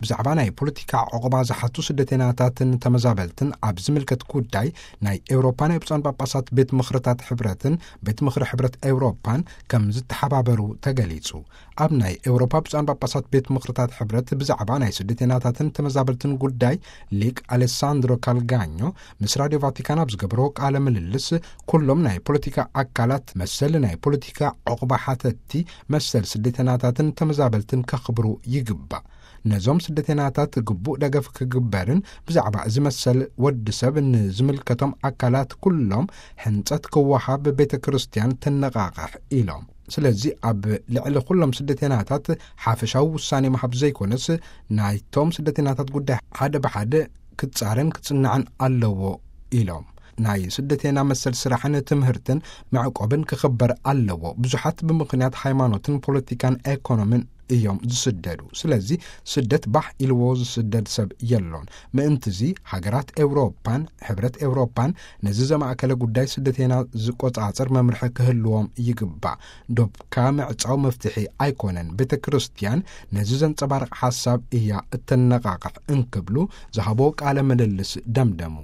ብዛዕባ ናይ ፖለቲካ ዕቑባ ዝሓቱ ስደተኛታትን ተመዛበልትን ኣብ ዝምልከት ጉዳይ ናይ ኤውሮፓ ናይ ብፁዓን ጳጳሳት ቤት ምኽርታት ሕብረትን ቤት ምኽሪ ሕብረት ኤውሮፓን ከም ዝተሓባበሩ ተገሊጹ። ኣብ ናይ ኤውሮፓ ብፁዓን ጳጳሳት ቤት ምኽርታት ሕብረት ብዛዕባ ናይ ስደተኛታትን ተመዛበልትን ጉዳይ ሊቅ ኣሌሳንድሮ ካልጋኞ ምስ ራድዮ ቫቲካን ኣብ ዝገበሮ ቃለ ምልልስ፣ ኩሎም ናይ ፖለቲካ ኣካላት መሰል ናይ ፖለቲካ ዕቑባ ሓተቲ መሰል ስደተኛታትን ተመዛበልትን ከኽብሩ ይግባእ። ነዞም ስደተኛታት ግቡእ ደገፍ ክግበርን ብዛዕባ እዚ መሰል ወዲ ሰብ ንዝምልከቶም ኣካላት ኩሎም ሕንጸት ክወሃብ ቤተ ክርስቲያን ተነቓቕሕ ኢሎም። ስለዚ ኣብ ልዕሊ ኩሎም ስደተኛታት ሓፈሻዊ ውሳኔ ምሃብ ዘይኮነስ፣ ናይቶም ስደተኛታት ጉዳይ ሓደ ብሓደ ክጻረን ክጽናዕን ኣለዎ ኢሎም። ናይ ስደተኛ መሰል ስራሕን ትምህርትን መዕቆብን ክኽበር ኣለዎ። ብዙሓት ብምኽንያት ሃይማኖትን ፖለቲካን ኤኮኖምን እዮም ዝስደዱ። ስለዚ ስደት ባህ ኢልዎ ዝስደድ ሰብ የሎን። ምእንትዚ ሃገራት ኤውሮፓን ሕብረት ኤውሮፓን ነዚ ዘማእከለ ጉዳይ ስደተኛ ዝቆጻጸር መምርሒ ክህልዎም ይግባእ። ዶብካ ምዕጻው መፍትሒ ኣይኮነን። ቤተ ክርስቲያን ነዚ ዘንጸባርቕ ሓሳብ እያ እተነቓቕሕ እንክብሉ ዝሃቦ ቃለ ምልልስ ደምደሙ።